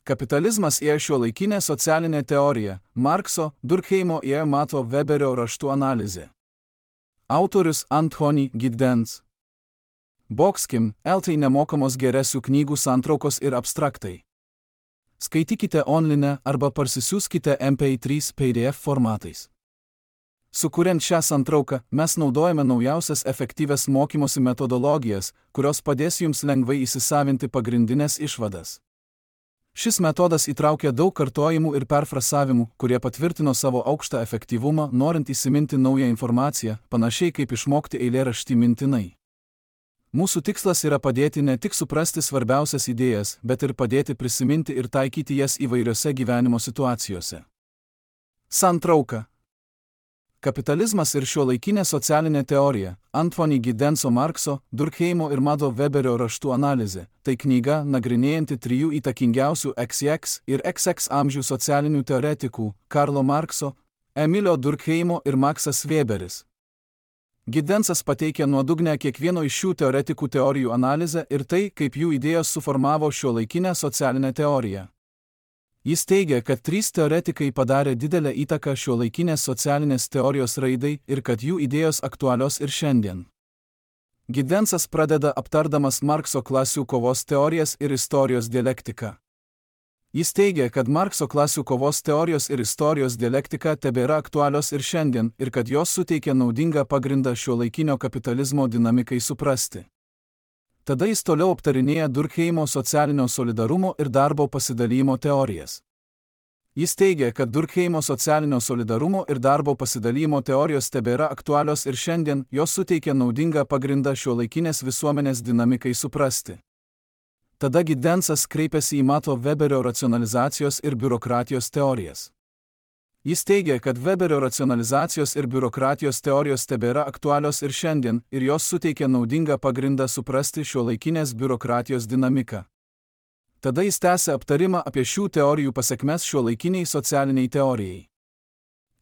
Kapitalizmas yra šiuolaikinė socialinė teorija, Markso, Durkheimo ir Mato Weberio raštų analizė. Autorius Anthony Giddens. Boxkim, LT nemokamos geresių knygų santraukos ir abstraktai. Skaitykite online arba parsisiųskite MP3 PDF formatais. Sukuriant šią santrauką, mes naudojame naujausias efektyvias mokymosi metodologijas, kurios padės jums lengvai įsisavinti pagrindinės išvadas. Šis metodas įtraukia daug kartojimų ir perfrasavimų, kurie patvirtino savo aukštą efektyvumą, norint įsiminti naują informaciją, panašiai kaip išmokti eilėraštį mintinai. Mūsų tikslas yra padėti ne tik suprasti svarbiausias idėjas, bet ir padėti prisiminti ir taikyti jas įvairiose gyvenimo situacijose. Santrauka. Kapitalizmas ir šiuolaikinė socialinė teorija, Anthony Giddenso Markso, Durkheimo ir Mato Weberio raštų analizė, tai knyga nagrinėjanti trijų įtakingiausių XX ir XX amžių socialinių teoretikų, Karlo Markso, Emilio Durkheimo ir Maxas Weberis. Giddensas pateikia nuodugnę kiekvieno iš šių teoretikų teorijų analizę ir tai, kaip jų idėjos suformavo šiuolaikinę socialinę teoriją. Jis teigia, kad trys teoretikai padarė didelę įtaką šiuolaikinės socialinės teorijos raidai ir kad jų idėjos aktualios ir šiandien. Giddensas pradeda aptardamas Markso klasių kovos teorijas ir istorijos dialektiką. Jis teigia, kad Markso klasių kovos teorijos ir istorijos dialektika tebėra aktualios ir šiandien ir kad jos suteikia naudingą pagrindą šiuolaikinio kapitalizmo dinamikai suprasti. Tada jis toliau aptarinėja Durkheimo socialinio solidarumo ir darbo pasidalijimo teorijas. Jis teigia, kad Durkheimo socialinio solidarumo ir darbo pasidalijimo teorijos tebėra aktualios ir šiandien, jos suteikia naudingą pagrindą šiuolaikinės visuomenės dinamikai suprasti. Tada Giddensas kreipiasi į Mato Weberio racionalizacijos ir biurokratijos teorijas. Jis teigia, kad Weberio racionalizacijos ir biurokratijos teorijos tebėra aktualios ir šiandien, ir jos suteikia naudingą pagrindą suprasti šiuolaikinės biurokratijos dinamiką. Tada jis tęsia aptarimą apie šių teorijų pasekmes šiuolaikiniai socialiniai teorijai.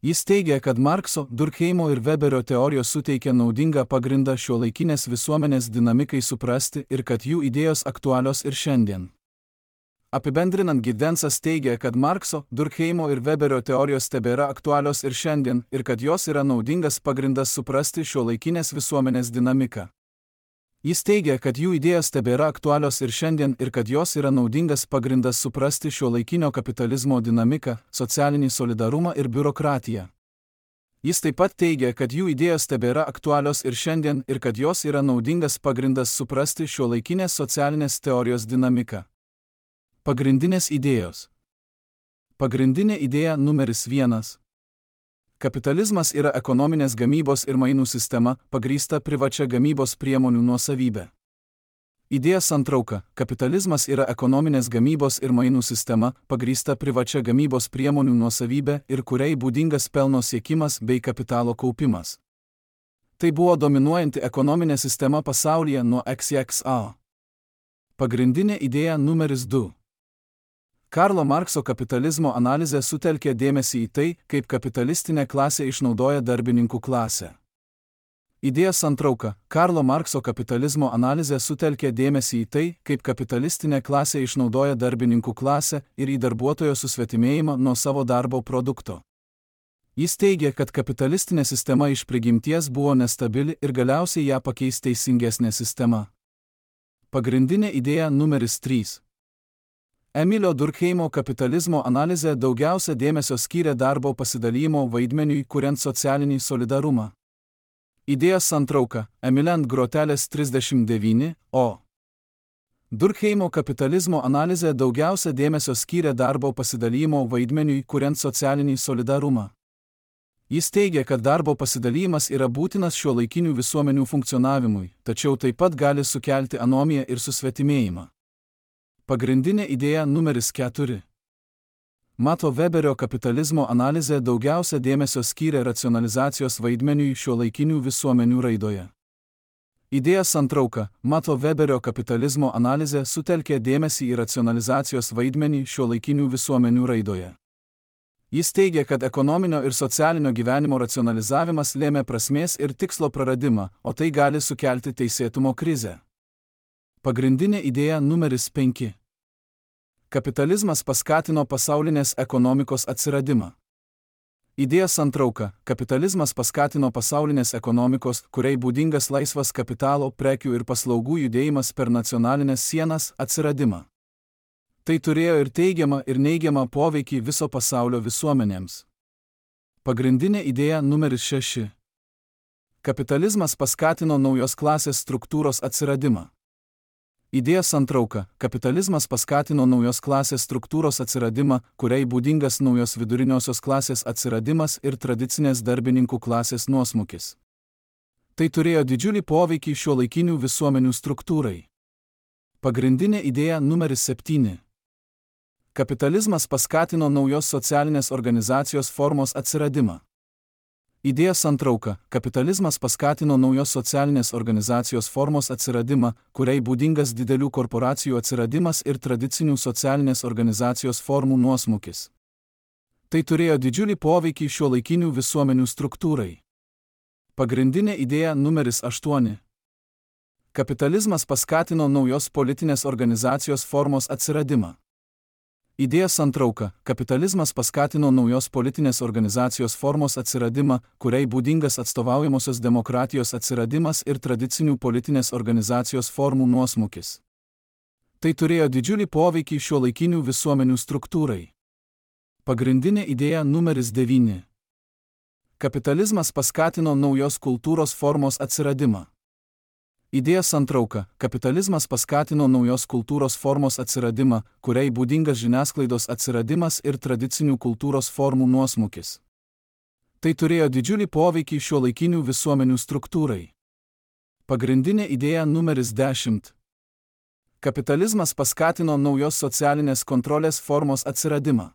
Jis teigia, kad Markso, Durkheimo ir Weberio teorijos suteikia naudingą pagrindą šiuolaikinės visuomenės dinamikai suprasti ir kad jų idėjos aktualios ir šiandien. Apibendrinant, Giddensas teigia, kad Markso, Durkheimo ir Weberio teorijos tebėra aktualios ir šiandien ir kad jos yra naudingas pagrindas suprasti šiuolaikinės visuomenės dinamiką. Jis teigia, kad jų idėjos tebėra aktualios ir šiandien ir kad jos yra naudingas pagrindas suprasti šiuolaikinio kapitalizmo dinamiką, socialinį solidarumą ir biurokratiją. Jis taip pat teigia, kad jų idėjos tebėra aktualios ir šiandien ir kad jos yra naudingas pagrindas suprasti šiuolaikinės socialinės teorijos dinamiką. Pagrindinės idėjos. Pagrindinė idėja numeris 1. Kapitalizmas yra ekonominės gamybos ir mainų sistema, pagrįsta privačia gamybos priemonių nuosavybė. Idėja santrauka. Kapitalizmas yra ekonominės gamybos ir mainų sistema, pagrįsta privačia gamybos priemonių nuosavybė ir kuriai būdingas pelno siekimas bei kapitalo kaupimas. Tai buvo dominuojanti ekonominė sistema pasaulyje nuo XXA. Pagrindinė idėja numeris 2. Karlo Markso kapitalizmo analizė sutelkė dėmesį į tai, kaip kapitalistinė klasė išnaudoja darbininkų klasę. Idėja santrauka. Karlo Markso kapitalizmo analizė sutelkė dėmesį į tai, kaip kapitalistinė klasė išnaudoja darbininkų klasę ir į darbuotojo susvetimėjimą nuo savo darbo produkto. Jis teigia, kad kapitalistinė sistema iš prigimties buvo nestabili ir galiausiai ją pakeis teisingesnė sistema. Pagrindinė idėja numeris 3. Emilio Durkheimo kapitalizmo analizė daugiausia dėmesio skyrė darbo pasidalijimo vaidmeniui, kuriant socialinį solidarumą. Idėja santrauka. Emiliant grotelės 39, o. Durkheimo kapitalizmo analizė daugiausia dėmesio skyrė darbo pasidalijimo vaidmeniui, kuriant socialinį solidarumą. Jis teigia, kad darbo pasidalymas yra būtinas šiuolaikinių visuomenių funkcionavimui, tačiau taip pat gali sukelti anomiją ir susvetimėjimą. Pagrindinė idėja numeris 4. Mato Weberio kapitalizmo analizė daugiausia dėmesio skyrė racionalizacijos vaidmeniui šiuolaikinių visuomenių raidoje. Idėja santrauka. Mato Weberio kapitalizmo analizė sutelkė dėmesį į racionalizacijos vaidmenį šiuolaikinių visuomenių raidoje. Jis teigia, kad ekonominio ir socialinio gyvenimo racionalizavimas lėmė prasmės ir tikslo praradimą, o tai gali sukelti teisėtumo krizę. Pagrindinė idėja numeris 5. Kapitalizmas paskatino pasaulinės ekonomikos atsiradimą. Idėja santrauka. Kapitalizmas paskatino pasaulinės ekonomikos, kuriai būdingas laisvas kapitalo, prekių ir paslaugų judėjimas per nacionalinės sienas, atsiradimą. Tai turėjo ir teigiamą, ir neigiamą poveikį viso pasaulio visuomenėms. Pagrindinė idėja numeris 6. Kapitalizmas paskatino naujos klasės struktūros atsiradimą. Idėja santrauka. Kapitalizmas paskatino naujos klasės struktūros atsiradimą, kuriai būdingas naujos viduriniosios klasės atsiradimas ir tradicinės darbininkų klasės nuosmukis. Tai turėjo didžiulį poveikį šiuolaikinių visuomenių struktūrai. Pagrindinė idėja numeris 7. Kapitalizmas paskatino naujos socialinės organizacijos formos atsiradimą. Idėja santrauka. Kapitalizmas paskatino naujos socialinės organizacijos formos atsiradimą, kuriai būdingas didelių korporacijų atsiradimas ir tradicinių socialinės organizacijos formų nuosmukis. Tai turėjo didžiulį poveikį šiuolaikinių visuomenių struktūrai. Pagrindinė idėja numeris 8. Kapitalizmas paskatino naujos politinės organizacijos formos atsiradimą. Idėja santrauka. Kapitalizmas paskatino naujos politinės organizacijos formos atsiradimą, kuriai būdingas atstovaujamosios demokratijos atsiradimas ir tradicinių politinės organizacijos formų nuosmukis. Tai turėjo didžiulį poveikį šiuolaikinių visuomenių struktūrai. Pagrindinė idėja numeris 9. Kapitalizmas paskatino naujos kultūros formos atsiradimą. Idėja santrauka. Kapitalizmas paskatino naujos kultūros formos atsiradimą, kuriai būdingas žiniasklaidos atsiradimas ir tradicinių kultūros formų nuosmukis. Tai turėjo didžiulį poveikį šiuolaikinių visuomenių struktūrai. Pagrindinė idėja numeris 10. Kapitalizmas paskatino naujos socialinės kontrolės formos atsiradimą.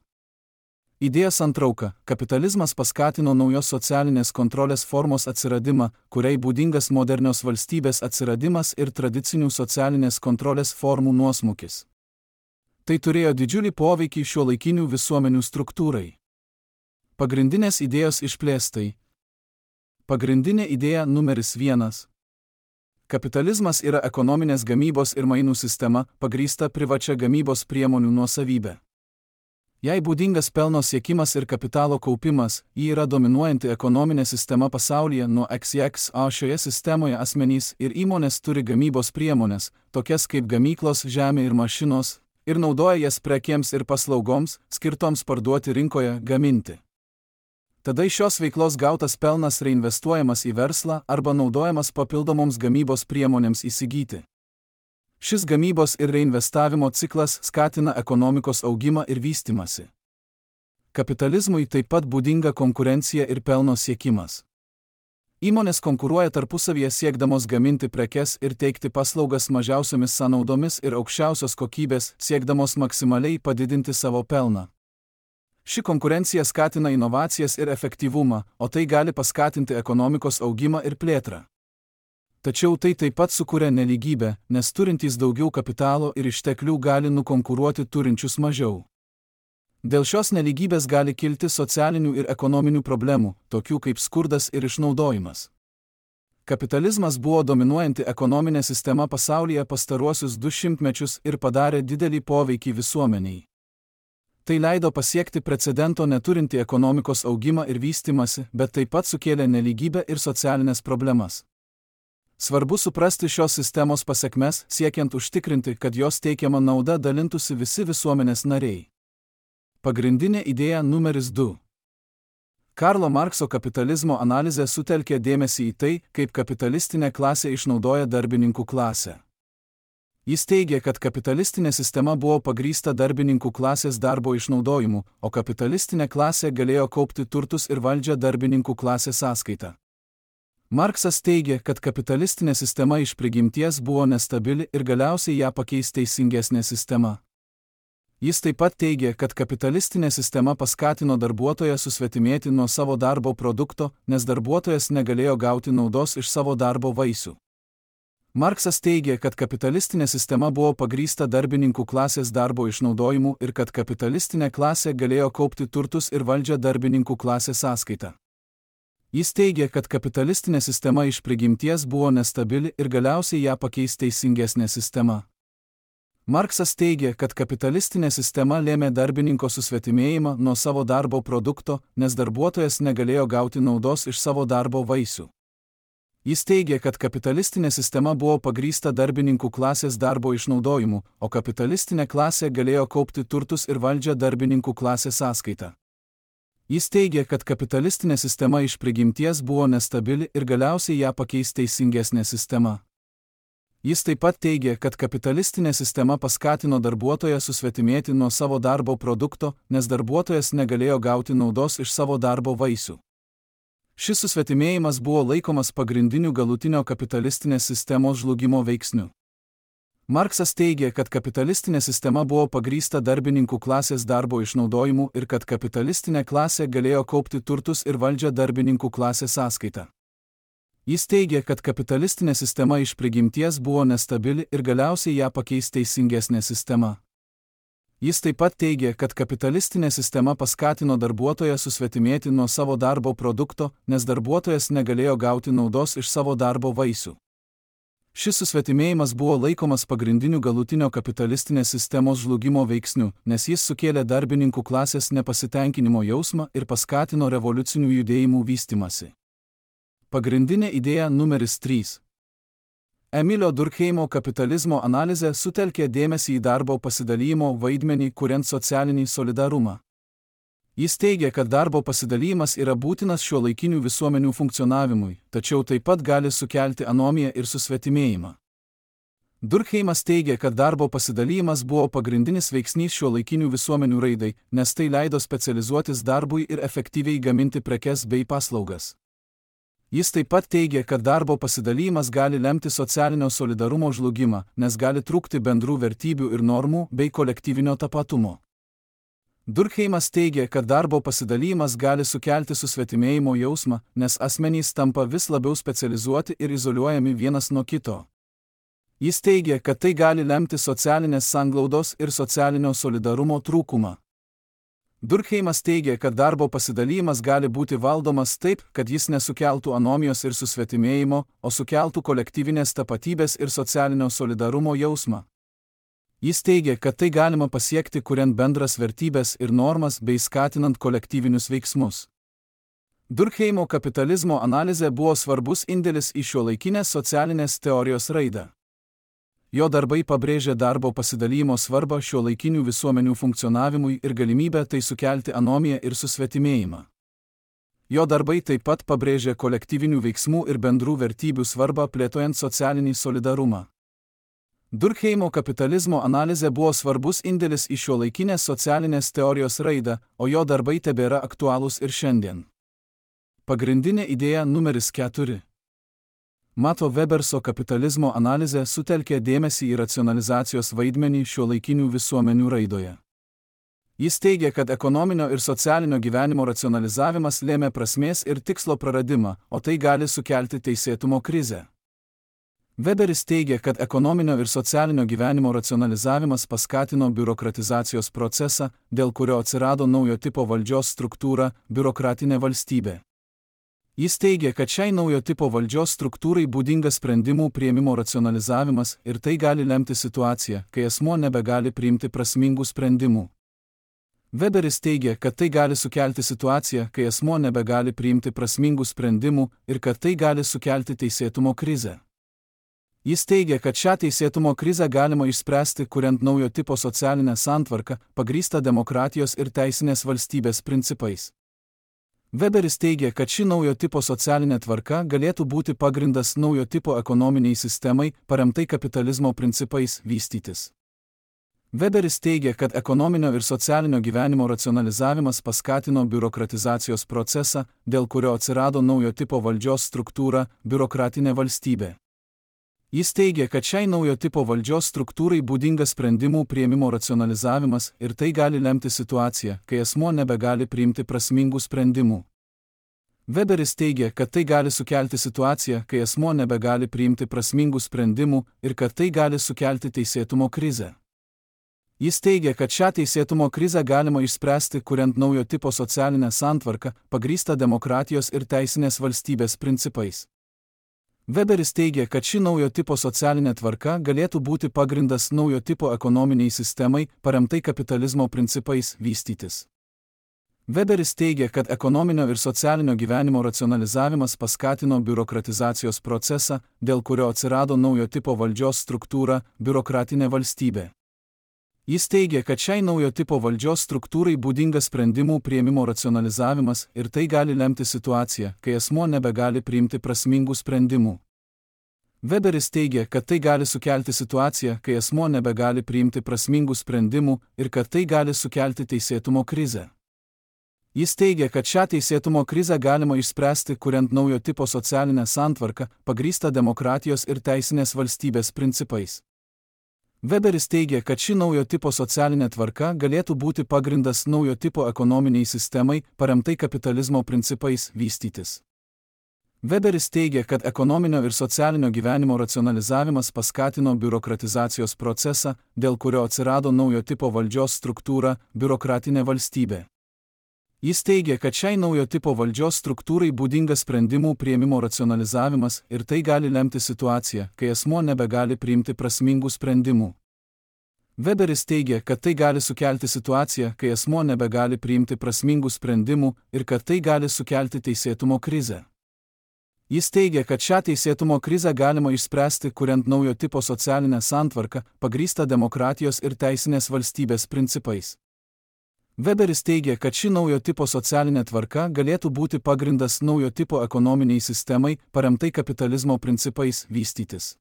Idėja santrauka. Kapitalizmas paskatino naujos socialinės kontrolės formos atsiradimą, kuriai būdingas modernios valstybės atsiradimas ir tradicinių socialinės kontrolės formų nuosmukis. Tai turėjo didžiulį poveikį šiuolaikinių visuomenių struktūrai. Pagrindinės idėjos išplėstai. Pagrindinė idėja numeris 1. Kapitalizmas yra ekonominės gamybos ir mainų sistema, pagrįsta privačia gamybos priemonių nuosavybė. Jai būdingas pelno siekimas ir kapitalo kaupimas, ji yra dominuojanti ekonominė sistema pasaulyje nuo XX, o šioje sistemoje asmenys ir įmonės turi gamybos priemonės, tokias kaip gamyklos, žemė ir mašinos, ir naudoja jas prekėms ir paslaugoms, skirtoms parduoti rinkoje, gaminti. Tada iš šios veiklos gautas pelnas reinvestuojamas į verslą arba naudojamas papildomoms gamybos priemonėms įsigyti. Šis gamybos ir reinvestavimo ciklas skatina ekonomikos augimą ir vystymąsi. Kapitalizmui taip pat būdinga konkurencija ir pelno siekimas. Įmonės konkuruoja tarpusavyje siekdamos gaminti prekes ir teikti paslaugas mažiausiomis sąnaudomis ir aukščiausios kokybės, siekdamos maksimaliai padidinti savo pelną. Ši konkurencija skatina inovacijas ir efektyvumą, o tai gali paskatinti ekonomikos augimą ir plėtrą. Tačiau tai taip pat sukuria nelygybę, nes turintys daugiau kapitalo ir išteklių gali nukonkuruoti turinčius mažiau. Dėl šios nelygybės gali kilti socialinių ir ekonominių problemų, tokių kaip skurdas ir išnaudojimas. Kapitalizmas buvo dominuojanti ekonominė sistema pasaulyje pastaruosius 200 mečius ir padarė didelį poveikį visuomeniai. Tai leido pasiekti precedento neturinti ekonomikos augimą ir vystymąsi, bet taip pat sukėlė nelygybę ir socialinės problemas. Svarbu suprasti šios sistemos pasekmes, siekiant užtikrinti, kad jos teikiama nauda dalintųsi visi visuomenės nariai. Pagrindinė idėja numeris 2. Karlo Markso kapitalizmo analizė sutelkė dėmesį į tai, kaip kapitalistinė klasė išnaudoja darbininkų klasę. Jis teigė, kad kapitalistinė sistema buvo pagrįsta darbininkų klasės darbo išnaudojimu, o kapitalistinė klasė galėjo kaupti turtus ir valdžią darbininkų klasės sąskaita. Marksas teigė, kad kapitalistinė sistema iš prigimties buvo nestabili ir galiausiai ją pakeis teisingesnė sistema. Jis taip pat teigė, kad kapitalistinė sistema paskatino darbuotoją susvetimėti nuo savo darbo produkto, nes darbuotojas negalėjo gauti naudos iš savo darbo vaisių. Marksas teigė, kad kapitalistinė sistema buvo pagrįsta darbininkų klasės darbo išnaudojimu ir kad kapitalistinė klasė galėjo kaupti turtus ir valdžią darbininkų klasės sąskaita. Jis teigė, kad kapitalistinė sistema iš prigimties buvo nestabili ir galiausiai ją pakeis teisingesnė sistema. Marksas teigė, kad kapitalistinė sistema lėmė darbininko susvetimėjimą nuo savo darbo produkto, nes darbuotojas negalėjo gauti naudos iš savo darbo vaisių. Jis teigė, kad kapitalistinė sistema buvo pagrįsta darbininkų klasės darbo išnaudojimu, o kapitalistinė klasė galėjo kaupti turtus ir valdžią darbininkų klasės sąskaita. Jis teigė, kad kapitalistinė sistema iš prigimties buvo nestabili ir galiausiai ją pakeis teisingesnė sistema. Jis taip pat teigė, kad kapitalistinė sistema paskatino darbuotoją susvetimėti nuo savo darbo produkto, nes darbuotojas negalėjo gauti naudos iš savo darbo vaisių. Šis susvetimėjimas buvo laikomas pagrindiniu galutinio kapitalistinės sistemos žlugimo veiksniu. Marksas teigė, kad kapitalistinė sistema buvo pagrįsta darbininkų klasės darbo išnaudojimu ir kad kapitalistinė klasė galėjo kaupti turtus ir valdžią darbininkų klasės sąskaita. Jis teigė, kad kapitalistinė sistema iš prigimties buvo nestabili ir galiausiai ją pakeis teisingesnė sistema. Jis taip pat teigė, kad kapitalistinė sistema paskatino darbuotoją susvetimėti nuo savo darbo produkto, nes darbuotojas negalėjo gauti naudos iš savo darbo vaisių. Šis susvetimėjimas buvo laikomas pagrindiniu galutinio kapitalistinės sistemos žlugimo veiksniu, nes jis sukėlė darbininkų klasės nepasitenkinimo jausmą ir paskatino revoliucinių judėjimų vystymąsi. Pagrindinė idėja numeris 3. Emilio Durkheimo kapitalizmo analizė sutelkė dėmesį į darbo pasidalijimo vaidmenį, kuriant socialinį solidarumą. Jis teigia, kad darbo pasidalymas yra būtinas šiuolaikinių visuomenių funkcionavimui, tačiau taip pat gali sukelti anomiją ir susvetimėjimą. Durkheimas teigia, kad darbo pasidalymas buvo pagrindinis veiksnys šiuolaikinių visuomenių raidai, nes tai leido specializuotis darbui ir efektyviai gaminti prekes bei paslaugas. Jis taip pat teigia, kad darbo pasidalymas gali lemti socialinio solidarumo žlugimą, nes gali trūkti bendrų vertybių ir normų bei kolektyvinio tapatumo. Durkheimas teigia, kad darbo pasidalymas gali sukelti susvetimėjimo jausmą, nes asmenys tampa vis labiau specializuoti ir izoliuojami vienas nuo kito. Jis teigia, kad tai gali lemti socialinės sanglaudos ir socialinio solidarumo trūkumą. Durkheimas teigia, kad darbo pasidalymas gali būti valdomas taip, kad jis nesukeltų anomijos ir susvetimėjimo, o sukeltų kolektyvinės tapatybės ir socialinio solidarumo jausmą. Jis teigia, kad tai galima pasiekti, kuriant bendras vertybės ir normas bei skatinant kolektyvinius veiksmus. Durkheimo kapitalizmo analizė buvo svarbus indėlis į šiuolaikinės socialinės teorijos raidą. Jo darbai pabrėžė darbo pasidalymo svarbą šiuolaikinių visuomenių funkcionavimui ir galimybę tai sukelti anomiją ir susvetimėjimą. Jo darbai taip pat pabrėžė kolektyvinių veiksmų ir bendrų vertybių svarbą plėtojant socialinį solidarumą. Durkheimo kapitalizmo analizė buvo svarbus indėlis į šiuolaikinės socialinės teorijos raidą, o jo darbai tebėra aktualūs ir šiandien. Pagrindinė idėja numeris 4. Mato Weberso kapitalizmo analizė sutelkė dėmesį į racionalizacijos vaidmenį šiuolaikinių visuomenių raidoje. Jis teigia, kad ekonominio ir socialinio gyvenimo racionalizavimas lėmė prasmės ir tikslo praradimą, o tai gali sukelti teisėtumo krizę. Weberis teigia, kad ekonominio ir socialinio gyvenimo racionalizavimas paskatino biurokratizacijos procesą, dėl kurio atsirado naujo tipo valdžios struktūra – biurokratinė valstybė. Jis teigia, kad šiai naujo tipo valdžios struktūrai būdingas sprendimų priėmimo racionalizavimas ir tai gali lemti situaciją, kai asmuo nebegali priimti prasmingų sprendimų. Weberis teigia, kad tai gali sukelti situaciją, kai asmuo nebegali priimti prasmingų sprendimų ir kad tai gali sukelti teisėtumo krizę. Jis teigia, kad šią teisėtumo krizę galima išspręsti, kuriant naujo tipo socialinę santvarką, pagrįstą demokratijos ir teisinės valstybės principais. Weberis teigia, kad ši naujo tipo socialinė tvarka galėtų būti pagrindas naujo tipo ekonominiai sistemai, paremtai kapitalizmo principais, vystytis. Weberis teigia, kad ekonominio ir socialinio gyvenimo racionalizavimas paskatino biurokratizacijos procesą, dėl kurio atsirado naujo tipo valdžios struktūra – biurokratinė valstybė. Jis teigia, kad šiai naujo tipo valdžios struktūrai būdingas sprendimų priėmimo racionalizavimas ir tai gali lemti situaciją, kai asmuo nebegali priimti prasmingų sprendimų. Weberis teigia, kad tai gali sukelti situaciją, kai asmuo nebegali priimti prasmingų sprendimų ir kad tai gali sukelti teisėtumo krizę. Jis teigia, kad šią teisėtumo krizę galima išspręsti, kuriant naujo tipo socialinę santvarką, pagrįstą demokratijos ir teisinės valstybės principais. Weberis teigia, kad ši naujo tipo socialinė tvarka galėtų būti pagrindas naujo tipo ekonominiai sistemai, paremtai kapitalizmo principais, vystytis. Weberis teigia, kad ekonominio ir socialinio gyvenimo racionalizavimas paskatino biurokratizacijos procesą, dėl kurio atsirado naujo tipo valdžios struktūra – biurokratinė valstybė. Jis teigia, kad šiai naujo tipo valdžios struktūrai būdingas sprendimų priėmimo racionalizavimas ir tai gali lemti situaciją, kai asmuo nebegali priimti prasmingų sprendimų. Weberis teigia, kad tai gali sukelti situaciją, kai asmuo nebegali priimti prasmingų sprendimų ir kad tai gali sukelti teisėtumo krizę. Jis teigia, kad šią teisėtumo krizę galima išspręsti, kuriant naujo tipo socialinę santvarką, pagrįstą demokratijos ir teisinės valstybės principais. Weberis teigia, kad ši naujo tipo socialinė tvarka galėtų būti pagrindas naujo tipo ekonominiai sistemai, paremtai kapitalizmo principais, vystytis. Weberis teigia, kad ekonominio ir socialinio gyvenimo racionalizavimas paskatino biurokratizacijos procesą, dėl kurio atsirado naujo tipo valdžios struktūra – biurokratinė valstybė. Jis teigia, kad šiai naujo tipo valdžios struktūrai būdingas sprendimų priėmimo racionalizavimas ir tai gali lemti situaciją, kai asmuo nebegali priimti prasmingų sprendimų. Weberis teigia, kad tai gali sukelti situaciją, kai asmuo nebegali priimti prasmingų sprendimų ir kad tai gali sukelti teisėtumo krizę. Jis teigia, kad šią teisėtumo krizę galima išspręsti, kuriant naujo tipo socialinę santvarką, pagrįstą demokratijos ir teisinės valstybės principais. Weberis teigia, kad ši naujo tipo socialinė tvarka galėtų būti pagrindas naujo tipo ekonominiai sistemai, paremtai kapitalizmo principais, vystytis.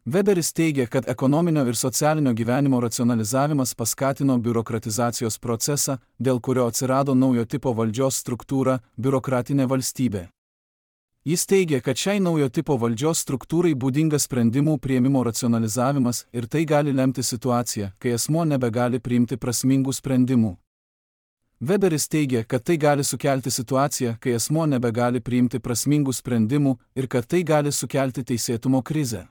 Weberis teigia, kad ekonominio ir socialinio gyvenimo racionalizavimas paskatino biurokratizacijos procesą, dėl kurio atsirado naujo tipo valdžios struktūra – biurokratinė valstybė. Jis teigia, kad šiai naujo tipo valdžios struktūrai būdingas sprendimų priėmimo racionalizavimas ir tai gali lemti situaciją, kai asmuo nebegali priimti prasmingų sprendimų. Weberis teigia, kad tai gali sukelti situaciją, kai asmuo nebegali priimti prasmingų sprendimų ir kad tai gali sukelti teisėtumo krizę.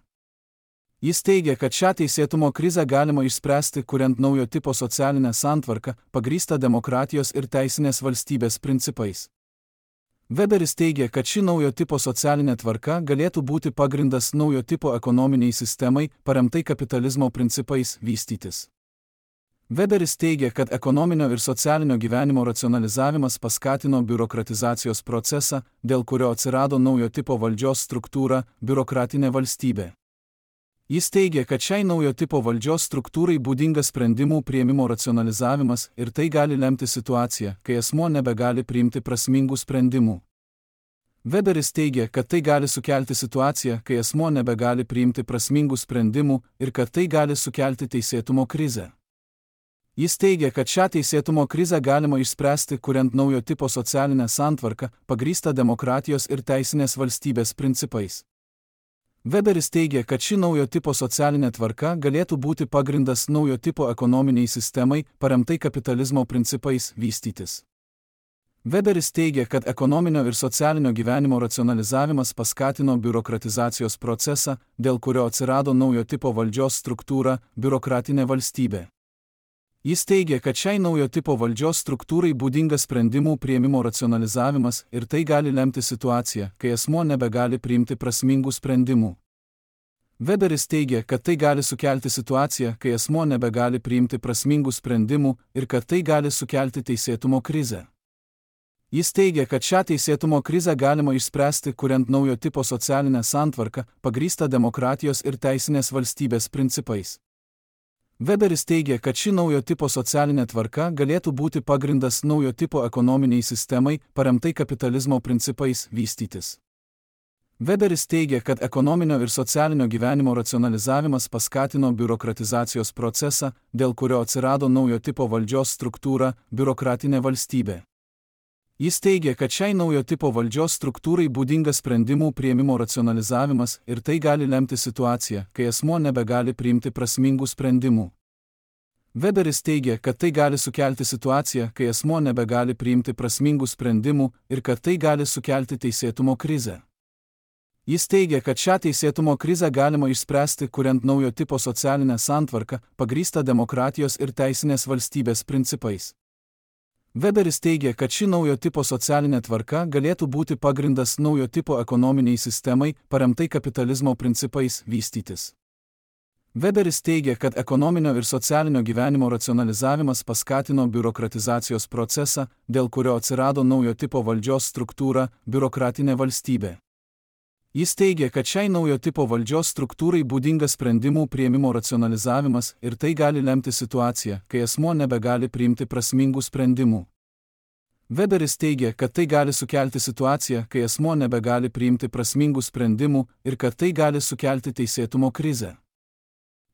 Jis teigia, kad šią teisėtumo krizę galima išspręsti, kuriant naujo tipo socialinę santvarką, pagrįstą demokratijos ir teisinės valstybės principais. Weberis teigia, kad ši naujo tipo socialinė tvarka galėtų būti pagrindas naujo tipo ekonominiai sistemai, paremtai kapitalizmo principais, vystytis. Weberis teigia, kad ekonominio ir socialinio gyvenimo racionalizavimas paskatino biurokratizacijos procesą, dėl kurio atsirado naujo tipo valdžios struktūra – biurokratinė valstybė. Jis teigia, kad šiai naujo tipo valdžios struktūrai būdingas sprendimų priėmimo racionalizavimas ir tai gali lemti situaciją, kai asmuo nebegali priimti prasmingų sprendimų. Weberis teigia, kad tai gali sukelti situaciją, kai asmuo nebegali priimti prasmingų sprendimų ir kad tai gali sukelti teisėtumo krizę. Jis teigia, kad šią teisėtumo krizę galima išspręsti, kuriant naujo tipo socialinę santvarką, pagrįstą demokratijos ir teisinės valstybės principais. Weberis teigia, kad ši naujo tipo socialinė tvarka galėtų būti pagrindas naujo tipo ekonominiai sistemai, paremtai kapitalizmo principais, vystytis. Weberis teigia, kad ekonominio ir socialinio gyvenimo racionalizavimas paskatino biurokratizacijos procesą, dėl kurio atsirado naujo tipo valdžios struktūra – biurokratinė valstybė. Jis teigia, kad šiai naujo tipo valdžios struktūrai būdingas sprendimų priėmimo racionalizavimas ir tai gali lemti situaciją, kai asmuo nebegali priimti prasmingų sprendimų. Weberis teigia, kad tai gali sukelti situaciją, kai asmuo nebegali priimti prasmingų sprendimų ir kad tai gali sukelti teisėtumo krizę. Jis teigia, kad šią teisėtumo krizę galima išspręsti, kuriant naujo tipo socialinę santvarką, pagrįstą demokratijos ir teisinės valstybės principais. Weberis teigia, kad ši naujo tipo socialinė tvarka galėtų būti pagrindas naujo tipo ekonominiai sistemai, paremtai kapitalizmo principais, vystytis. Weberis teigia, kad ekonominio ir socialinio gyvenimo racionalizavimas paskatino biurokratizacijos procesą, dėl kurio atsirado naujo tipo valdžios struktūra – biurokratinė valstybė. Jis teigia, kad šiai naujo tipo valdžios struktūrai būdingas sprendimų priėmimo racionalizavimas ir tai gali lemti situaciją, kai asmuo nebegali priimti prasmingų sprendimų. Weberis teigia, kad tai gali sukelti situaciją, kai asmuo nebegali priimti prasmingų sprendimų ir kad tai gali sukelti teisėtumo krizę. Jis teigia, kad šią teisėtumo krizę galima išspręsti, kuriant naujo tipo socialinę santvarką, pagrįstą demokratijos ir teisinės valstybės principais. Weberis teigia, kad ši naujo tipo socialinė tvarka galėtų būti pagrindas naujo tipo ekonominiai sistemai, paremtai kapitalizmo principais, vystytis. Weberis teigia, kad ekonominio ir socialinio gyvenimo racionalizavimas paskatino biurokratizacijos procesą, dėl kurio atsirado naujo tipo valdžios struktūra – biurokratinė valstybė. Jis teigia, kad šiai naujo tipo valdžios struktūrai būdingas sprendimų priėmimo racionalizavimas ir tai gali lemti situaciją, kai asmuo nebegali priimti prasmingų sprendimų. Weberis teigia, kad tai gali sukelti situaciją, kai asmuo nebegali priimti prasmingų sprendimų ir kad tai gali sukelti teisėtumo krizę.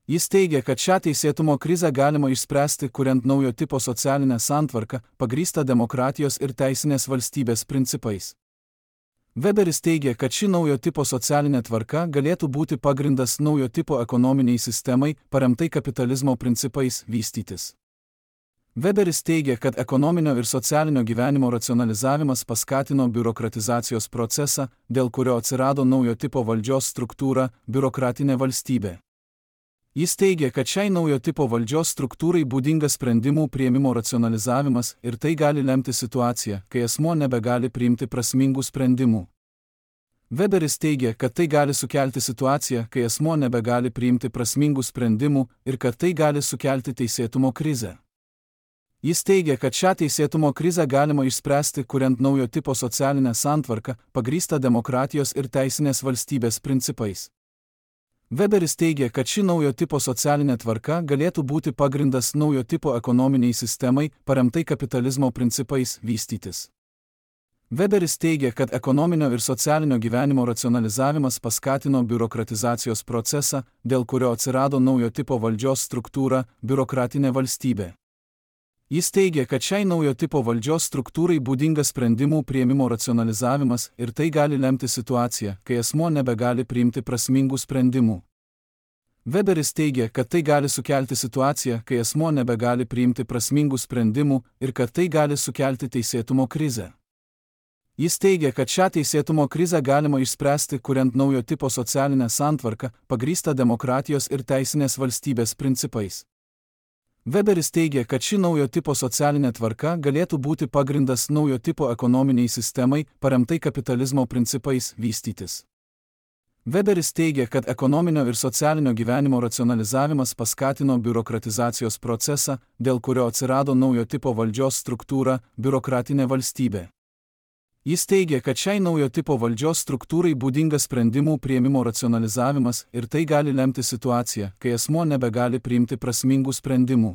Jis teigia, kad šią teisėtumo krizę galima išspręsti, kuriant naujo tipo socialinę santvarką, pagrįstą demokratijos ir teisinės valstybės principais. Weberis teigia, kad ši naujo tipo socialinė tvarka galėtų būti pagrindas naujo tipo ekonominiai sistemai, paremtai kapitalizmo principais, vystytis. Weberis teigia, kad ekonominio ir socialinio gyvenimo racionalizavimas paskatino biurokratizacijos procesą, dėl kurio atsirado naujo tipo valdžios struktūra – biurokratinė valstybė. Jis teigia, kad šiai naujo tipo valdžios struktūrai būdingas sprendimų priėmimo racionalizavimas ir tai gali lemti situaciją, kai asmuo nebegali priimti prasmingų sprendimų. Weberis teigia, kad tai gali sukelti situaciją, kai asmuo nebegali priimti prasmingų sprendimų ir kad tai gali sukelti teisėtumo krizę. Jis teigia, kad šią teisėtumo krizę galima išspręsti, kuriant naujo tipo socialinę santvarką, pagrįstą demokratijos ir teisinės valstybės principais. Weberis teigia, kad ši naujo tipo socialinė tvarka galėtų būti pagrindas naujo tipo ekonominiai sistemai, paremtai kapitalizmo principais, vystytis. Weberis teigia, kad ekonominio ir socialinio gyvenimo racionalizavimas paskatino biurokratizacijos procesą, dėl kurio atsirado naujo tipo valdžios struktūra – biurokratinė valstybė. Jis teigia, kad šiai naujo tipo valdžios struktūrai būdingas sprendimų priėmimo racionalizavimas ir tai gali lemti situaciją, kai asmuo nebegali priimti prasmingų sprendimų. Weberis teigia, kad tai gali sukelti situaciją, kai asmuo nebegali priimti prasmingų sprendimų ir kad tai gali sukelti teisėtumo krizę. Jis teigia, kad šią teisėtumo krizę galima išspręsti, kuriant naujo tipo socialinę santvarką, pagrįstą demokratijos ir teisinės valstybės principais. Weberis teigia, kad ši naujo tipo socialinė tvarka galėtų būti pagrindas naujo tipo ekonominiai sistemai, paremtai kapitalizmo principais, vystytis. Weberis teigia, kad ekonominio ir socialinio gyvenimo racionalizavimas paskatino biurokratizacijos procesą, dėl kurio atsirado naujo tipo valdžios struktūra – biurokratinė valstybė. Jis teigia, kad šiai naujo tipo valdžios struktūrai būdingas sprendimų priėmimo racionalizavimas ir tai gali lemti situaciją, kai asmuo nebegali priimti prasmingų sprendimų.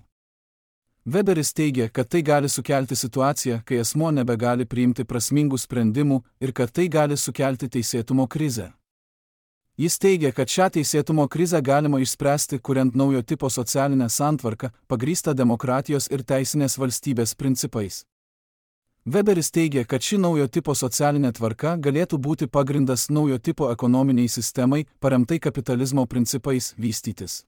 Weberis teigia, kad tai gali sukelti situaciją, kai asmuo nebegali priimti prasmingų sprendimų ir kad tai gali sukelti teisėtumo krizę. Jis teigia, kad šią teisėtumo krizę galima išspręsti, kuriant naujo tipo socialinę santvarką, pagrįstą demokratijos ir teisinės valstybės principais. Weberis teigia, kad ši naujo tipo socialinė tvarka galėtų būti pagrindas naujo tipo ekonominiai sistemai, paremtai kapitalizmo principais, vystytis.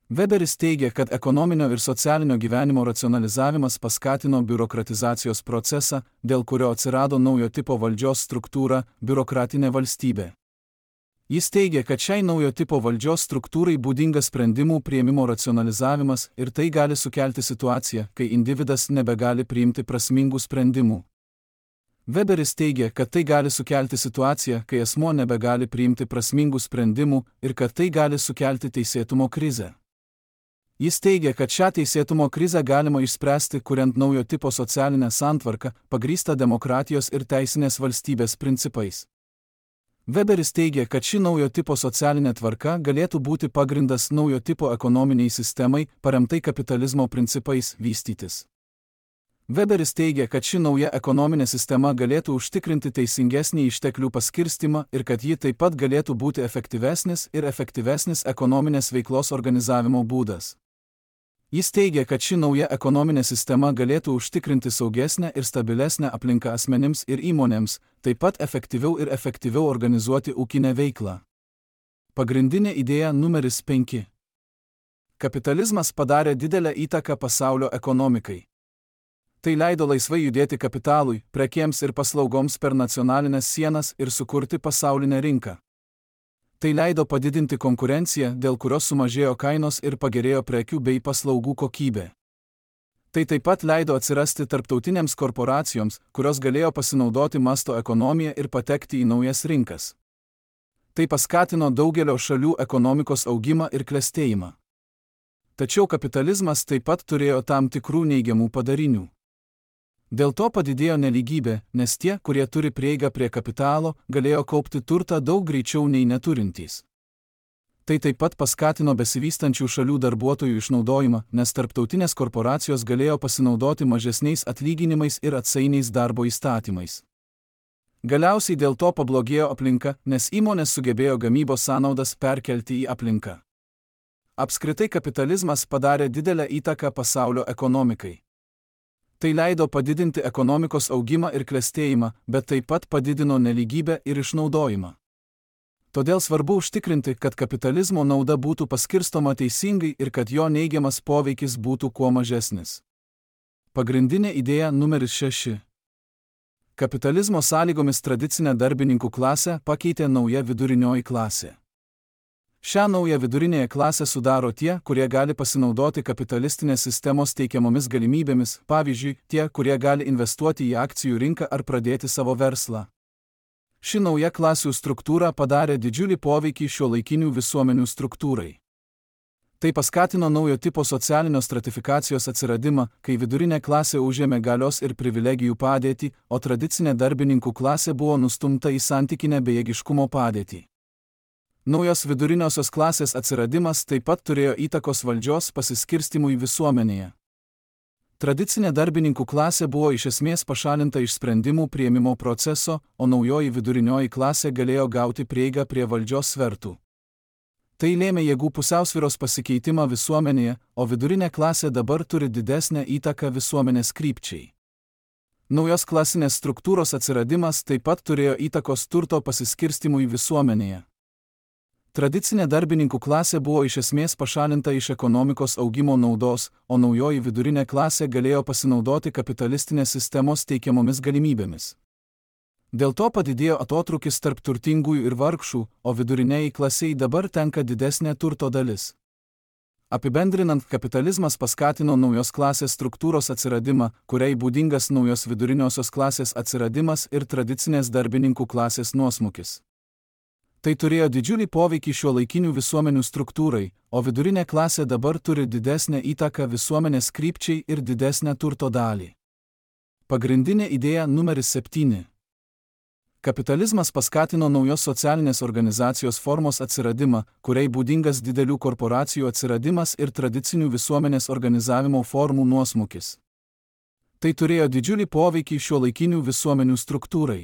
Weberis teigia, kad ekonominio ir socialinio gyvenimo racionalizavimas paskatino biurokratizacijos procesą, dėl kurio atsirado naujo tipo valdžios struktūra – biurokratinė valstybė. Jis teigia, kad šiai naujo tipo valdžios struktūrai būdingas sprendimų priėmimo racionalizavimas ir tai gali sukelti situaciją, kai individas nebegali priimti prasmingų sprendimų. Weberis teigia, kad tai gali sukelti situaciją, kai asmuo nebegali priimti prasmingų sprendimų ir kad tai gali sukelti teisėtumo krizę. Jis teigia, kad šią teisėtumo krizę galima išspręsti, kuriant naujo tipo socialinę santvarką, pagrįstą demokratijos ir teisinės valstybės principais. Weberis teigia, kad ši naujo tipo socialinė tvarka galėtų būti pagrindas naujo tipo ekonominiai sistemai, paremtai kapitalizmo principais, vystytis. Weberis teigia, kad ši nauja ekonominė sistema galėtų užtikrinti teisingesnį išteklių paskirstimą ir kad ji taip pat galėtų būti efektyvesnis ekonominės veiklos organizavimo būdas. Jis teigia, kad ši nauja ekonominė sistema galėtų užtikrinti saugesnę ir stabilesnę aplinką asmenims ir įmonėms, taip pat efektyviau organizuoti ūkinę veiklą. Pagrindinė idėja numeris 5. Kapitalizmas padarė didelę įtaką pasaulio ekonomikai. Tai leido laisvai judėti kapitalui, prekėms ir paslaugoms per nacionalinės sienas ir sukurti pasaulinę rinką. Tai leido padidinti konkurenciją, dėl kurios sumažėjo kainos ir pagerėjo prekių bei paslaugų kokybė. Tai taip pat leido atsirasti tarptautinėms korporacijoms, kurios galėjo pasinaudoti masto ekonomiją ir patekti į naujas rinkas. Tai paskatino daugelio šalių ekonomikos augimą ir klestėjimą. Tačiau kapitalizmas taip pat turėjo tam tikrų neigiamų padarinių. Dėl to padidėjo nelygybė, nes tie, kurie turi prieigą prie kapitalo, galėjo kaupti turtą daug greičiau nei neturintys. Tai taip pat paskatino besivystančių šalių darbuotojų išnaudojimą, nes tarptautinės korporacijos galėjo pasinaudoti mažesniais atlyginimais ir atsainiais darbo įstatymais. Galiausiai dėl to pablogėjo aplinka, nes įmonės sugebėjo gamybos sąnaudas perkelti į aplinką. Apskritai kapitalizmas padarė didelę įtaką pasaulio ekonomikai. Tai leido padidinti ekonomikos augimą ir klestėjimą, bet taip pat padidino nelygybę ir išnaudojimą. Todėl svarbu užtikrinti, kad kapitalizmo nauda būtų paskirstoma teisingai ir kad jo neigiamas poveikis būtų kuo mažesnis. Pagrindinė idėja numeris 6. Kapitalizmo sąlygomis tradicinę darbininkų klasę pakeitė nauja vidurinioji klasė. Šią naują vidurinėje klasę sudaro tie, kurie gali pasinaudoti kapitalistinės sistemos teikiamomis galimybėmis, pavyzdžiui, tie, kurie gali investuoti į akcijų rinką ar pradėti savo verslą. Ši nauja klasių struktūra padarė didžiulį poveikį šiuolaikinių visuomenių struktūrai. Tai paskatino naujo tipo socialinio stratifikacijos atsiradimą, kai vidurinė klasė užėmė galios ir privilegijų padėtį, o tradicinė darbininkų klasė buvo nustumta į santykinę bejėgiškumo padėtį. Naujos viduriniosios klasės atsiradimas taip pat turėjo įtakos valdžios pasiskirstimui visuomenėje. Tradicinė darbininkų klasė buvo iš esmės pašalinta iš sprendimų priėmimo proceso, o naujoji vidurinioji klasė galėjo gauti prieigą prie valdžios svertų. Tai lėmė jėgų pusiausvyros pasikeitimą visuomenėje, o vidurinė klasė dabar turi didesnę įtaką visuomenės krypčiai. Naujos klasinės struktūros atsiradimas taip pat turėjo įtakos turto pasiskirstimui visuomenėje. Tradicinė darbininkų klasė buvo iš esmės pašalinta iš ekonomikos augimo naudos, o naujoji vidurinė klasė galėjo pasinaudoti kapitalistinės sistemos teikiamomis galimybėmis. Dėl to padidėjo atotrūkis tarp turtingųjų ir vargšų, o viduriniai klasiai dabar tenka didesnė turto dalis. Apibendrinant, kapitalizmas paskatino naujos klasės struktūros atsiradimą, kuriai būdingas naujos viduriniosios klasės atsiradimas ir tradicinės darbininkų klasės nuosmukis. Tai turėjo didžiulį poveikį šiuolaikinių visuomenių struktūrai, o vidurinė klasė dabar turi didesnę įtaką visuomenės krypčiai ir didesnę turto dalį. Pagrindinė idėja numeris 7. Kapitalizmas paskatino naujos socialinės organizacijos formos atsiradimą, kuriai būdingas didelių korporacijų atsiradimas ir tradicinių visuomenės organizavimo formų nuosmukis. Tai turėjo didžiulį poveikį šiuolaikinių visuomenių struktūrai.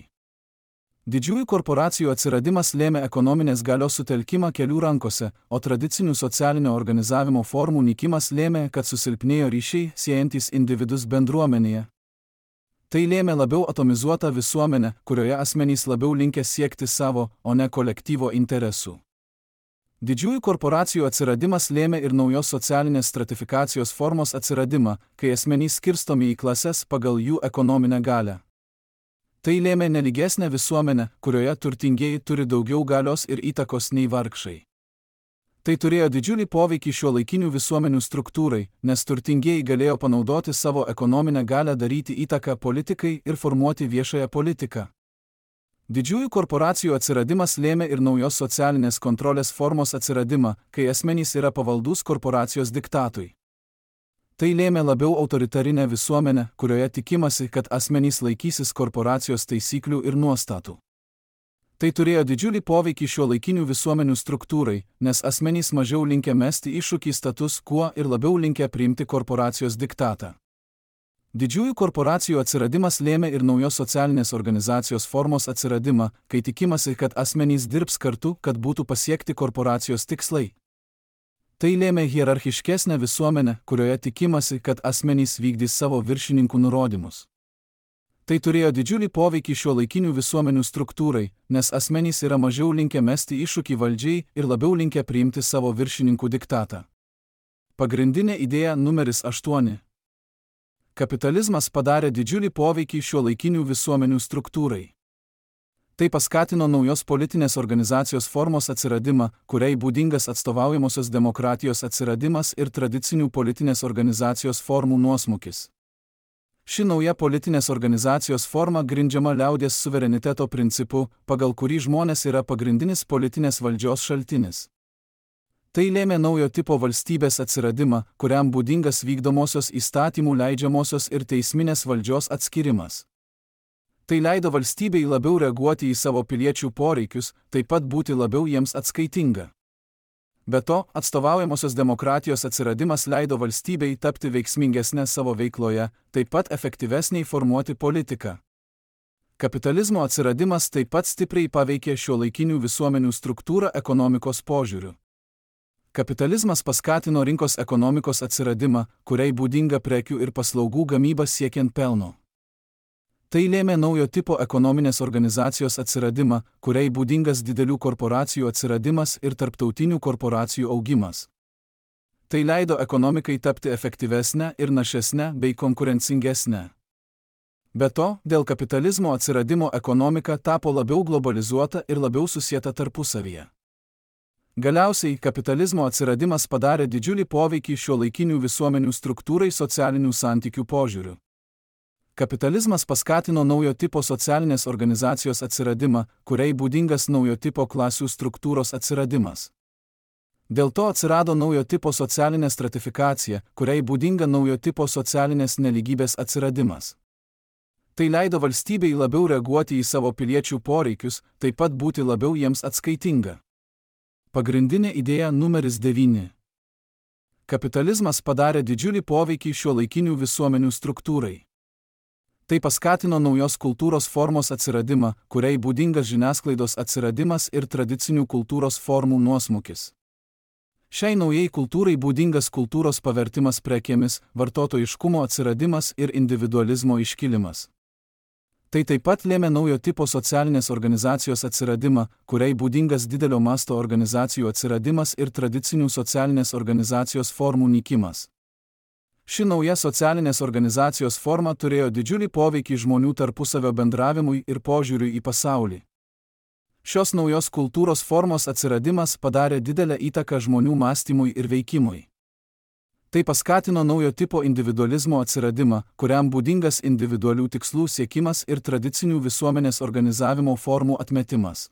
Didžiųjų korporacijų atsiradimas lėmė ekonominės galios sutelkimą kelių rankose, o tradicinių socialinio organizavimo formų nykimas lėmė, kad susilpnėjo ryšiai, siejantys individus bendruomenėje. Tai lėmė labiau atomizuotą visuomenę, kurioje asmenys labiau linkę siekti savo, o ne kolektyvo interesų. Didžiųjų korporacijų atsiradimas lėmė ir naujos socialinės stratifikacijos formos atsiradimą, kai asmenys skirstomi į klases pagal jų ekonominę galią. Tai lėmė nelygesnę visuomenę, kurioje turtingieji turi daugiau galios ir įtakos nei vargšai. Tai turėjo didžiulį poveikį šiuolaikinių visuomenių struktūrai, nes turtingieji galėjo panaudoti savo ekonominę galią daryti įtaką politikai ir formuoti viešąją politiką. Didžiųjų korporacijų atsiradimas lėmė ir naujos socialinės kontrolės formos atsiradimą, kai asmenys yra pavaldūs korporacijos diktatui. Tai lėmė labiau autoritarinę visuomenę, kurioje tikimasi, kad asmenys laikysis korporacijos taisyklių ir nuostatų. Tai turėjo didžiulį poveikį šiuolaikinių visuomenių struktūrai, nes asmenys mažiau linkę mesti iššūkį status quo ir labiau linkę priimti korporacijos diktatą. Didžiųjų korporacijų atsiradimas lėmė ir naujos socialinės organizacijos formos atsiradimą, kai tikimasi, kad asmenys dirbs kartu, kad būtų pasiekti korporacijos tikslai. Tai lėmė hierarchiškesnę visuomenę, kurioje tikimasi, kad asmenys vykdys savo viršininkų nurodymus. Tai turėjo didžiulį poveikį šiuolaikinių visuomenių struktūrai, nes asmenys yra mažiau linkę mesti iššūkį valdžiai ir labiau linkę priimti savo viršininkų diktatą. Pagrindinė idėja numeris 8. Kapitalizmas padarė didžiulį poveikį šiuolaikinių visuomenių struktūrai. Tai paskatino naujos politinės organizacijos formos atsiradimą, kuriai būdingas atstovaujamosios demokratijos atsiradimas ir tradicinių politinės organizacijos formų nuosmukis. Ši nauja politinės organizacijos forma grindžiama liaudies suvereniteto principu, pagal kurį žmonės yra pagrindinis politinės valdžios šaltinis. Tai lėmė naujo tipo valstybės atsiradimą, kuriam būdingas vykdomosios įstatymų leidžiamosios ir teisminės valdžios atskirimas. Tai leido valstybei labiau reaguoti į savo piliečių poreikius, taip pat būti labiau jiems atskaitinga. Be to, atstovaujamosios demokratijos atsiradimas leido valstybei tapti veiksmingesnė savo veikloje, taip pat efektyvesniai formuoti politiką. Kapitalizmo atsiradimas taip pat stipriai paveikė šiuolaikinių visuomenių struktūrą ekonomikos požiūriu. Kapitalizmas paskatino rinkos ekonomikos atsiradimą, kuriai būdinga prekių ir paslaugų gamyba siekiant pelno. Tai lėmė naujo tipo ekonominės organizacijos atsiradimą, kuriai būdingas didelių korporacijų atsiradimas ir tarptautinių korporacijų augimas. Tai leido ekonomikai tapti efektyvesnę ir našesnę bei konkurencingesnę. Be to, dėl kapitalizmo atsiradimo ekonomika tapo labiau globalizuota ir labiau susieta tarpusavyje. Galiausiai, kapitalizmo atsiradimas padarė didžiulį poveikį šiuolaikinių visuomenių struktūrai socialinių santykių požiūriu. Kapitalizmas paskatino naujo tipo socialinės organizacijos atsiradimą, kuriai būdingas naujo tipo klasių struktūros atsiradimas. Dėl to atsirado naujo tipo socialinė stratifikacija, kuriai būdinga naujo tipo socialinės nelygybės atsiradimas. Tai leido valstybei labiau reaguoti į savo piliečių poreikius, taip pat būti labiau jiems atskaitinga. Pagrindinė idėja numeris 9. Kapitalizmas padarė didžiulį poveikį šiuolaikinių visuomenių struktūrai. Tai paskatino naujos kultūros formos atsiradimą, kuriai būdingas žiniasklaidos atsiradimas ir tradicinių kultūros formų nuosmukis. Šiai naujai kultūrai būdingas kultūros pavertimas prekėmis, vartotojiškumo atsiradimas ir individualizmo iškilimas. Tai taip pat lėmė naujo tipo socialinės organizacijos atsiradimą, kuriai būdingas didelio masto organizacijų atsiradimas ir tradicinių socialinės organizacijos formų nykimas. Ši nauja socialinės organizacijos forma turėjo didžiulį poveikį žmonių tarpusavio bendravimui ir požiūriui į pasaulį. Šios naujos kultūros formos atsiradimas padarė didelę įtaką žmonių mąstymui ir veikimui. Tai paskatino naujo tipo individualizmo atsiradimą, kuriam būdingas individualių tikslų siekimas ir tradicinių visuomenės organizavimo formų atmetimas.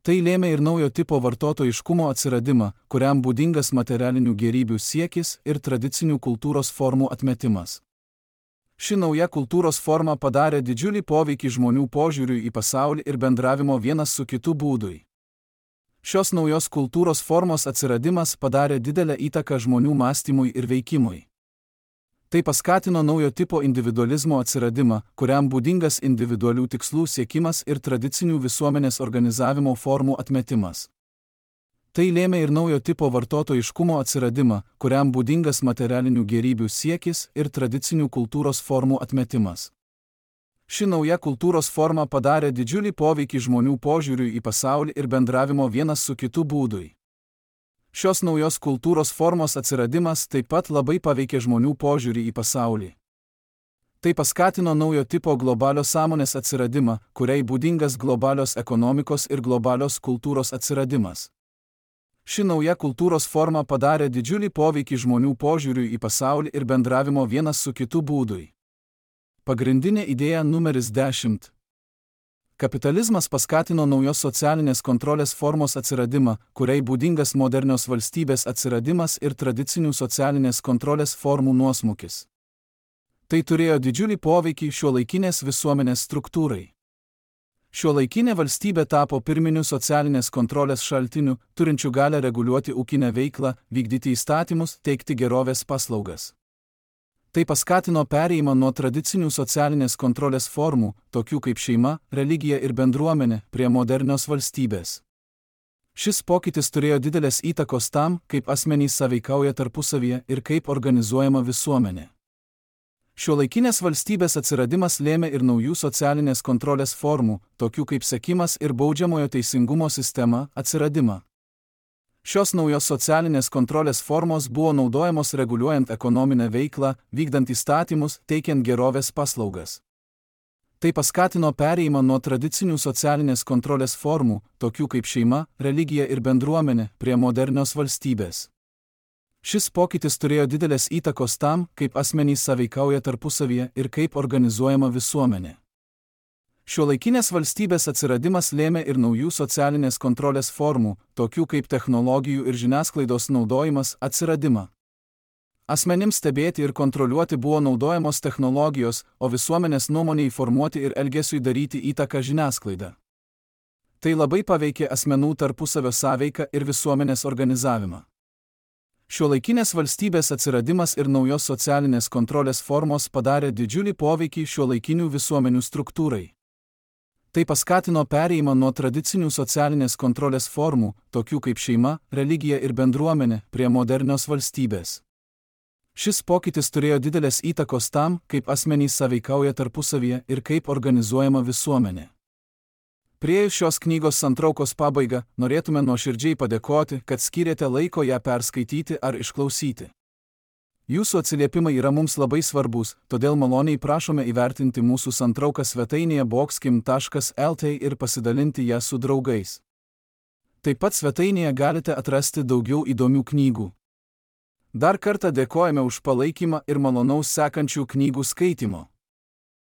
Tai lėmė ir naujo tipo vartotojiškumo atsiradimą, kuriam būdingas materialinių gėrybių siekis ir tradicinių kultūros formų atmetimas. Ši nauja kultūros forma padarė didžiulį poveikį žmonių požiūriui į pasaulį ir bendravimo vienas su kitu būdui. Šios naujos kultūros formos atsiradimas padarė didelę įtaką žmonių mąstymui ir veikimui. Tai paskatino naujo tipo individualizmo atsiradimą, kuriam būdingas individualių tikslų siekimas ir tradicinių visuomenės organizavimo formų atmetimas. Tai lėmė ir naujo tipo vartotojiškumo atsiradimą, kuriam būdingas materialinių gėrybių siekis ir tradicinių kultūros formų atmetimas. Ši nauja kultūros forma padarė didžiulį poveikį žmonių požiūriui į pasaulį ir bendravimo vienas su kitu būdui. Šios naujos kultūros formos atsiradimas taip pat labai paveikė žmonių požiūrį į pasaulį. Tai paskatino naujo tipo globalios sąmonės atsiradimą, kuriai būdingas globalios ekonomikos ir globalios kultūros atsiradimas. Ši nauja kultūros forma padarė didžiulį poveikį žmonių požiūriui į pasaulį ir bendravimo vienas su kitu būdui. Pagrindinė idėja numeris 10. Kapitalizmas paskatino naujos socialinės kontrolės formos atsiradimą, kuriai būdingas modernios valstybės atsiradimas ir tradicinių socialinės kontrolės formų nuosmukis. Tai turėjo didžiulį poveikį šiuolaikinės visuomenės struktūrai. Šiuolaikinė valstybė tapo pirminiu socialinės kontrolės šaltiniu, turinčiu galią reguliuoti ūkinę veiklą, vykdyti įstatymus, teikti gerovės paslaugas. Tai paskatino perėjimą nuo tradicinių socialinės kontrolės formų, tokių kaip šeima, religija ir bendruomenė, prie modernios valstybės. Šis pokytis turėjo didelės įtakos tam, kaip asmenys sąveikauja tarpusavyje ir kaip organizuojama visuomenė. Šiuolaikinės valstybės atsiradimas lėmė ir naujų socialinės kontrolės formų, tokių kaip sekimas ir baudžiamojo teisingumo sistema, atsiradimą. Šios naujos socialinės kontrolės formos buvo naudojamos reguliuojant ekonominę veiklą, vykdant įstatymus, teikiant gerovės paslaugas. Tai paskatino perėjimą nuo tradicinių socialinės kontrolės formų, tokių kaip šeima, religija ir bendruomenė, prie modernios valstybės. Šis pokytis turėjo didelės įtakos tam, kaip asmenys sąveikauja tarpusavyje ir kaip organizuojama visuomenė. Šiuolaikinės valstybės atsiradimas lėmė ir naujų socialinės kontrolės formų, tokių kaip technologijų ir žiniasklaidos naudojimas, atsiradimą. Asmenims stebėti ir kontroliuoti buvo naudojamos technologijos, o visuomenės nuomonei formuoti ir elgesiui daryti įtaką žiniasklaida. Tai labai paveikė asmenų tarpusavio sąveiką ir visuomenės organizavimą. Šiuolaikinės valstybės atsiradimas ir naujos socialinės kontrolės formos padarė didžiulį poveikį šiuolaikinių visuomenių struktūrai. Tai paskatino perėjimą nuo tradicinių socialinės kontrolės formų, tokių kaip šeima, religija ir bendruomenė, prie modernios valstybės. Šis pokytis turėjo didelės įtakos tam, kaip asmenys sąveikauja tarpusavyje ir kaip organizuojama visuomenė. Priėjus šios knygos santraukos pabaigą, norėtume nuoširdžiai padėkoti, kad skyrėte laiko ją perskaityti ar išklausyti. Jūsų atsiliepimai yra mums labai svarbus, todėl maloniai prašome įvertinti mūsų santrauką svetainėje boxkim.lt ir pasidalinti ją su draugais. Taip pat svetainėje galite atrasti daugiau įdomių knygų. Dar kartą dėkojame už palaikymą ir malonaus sekančių knygų skaitimo.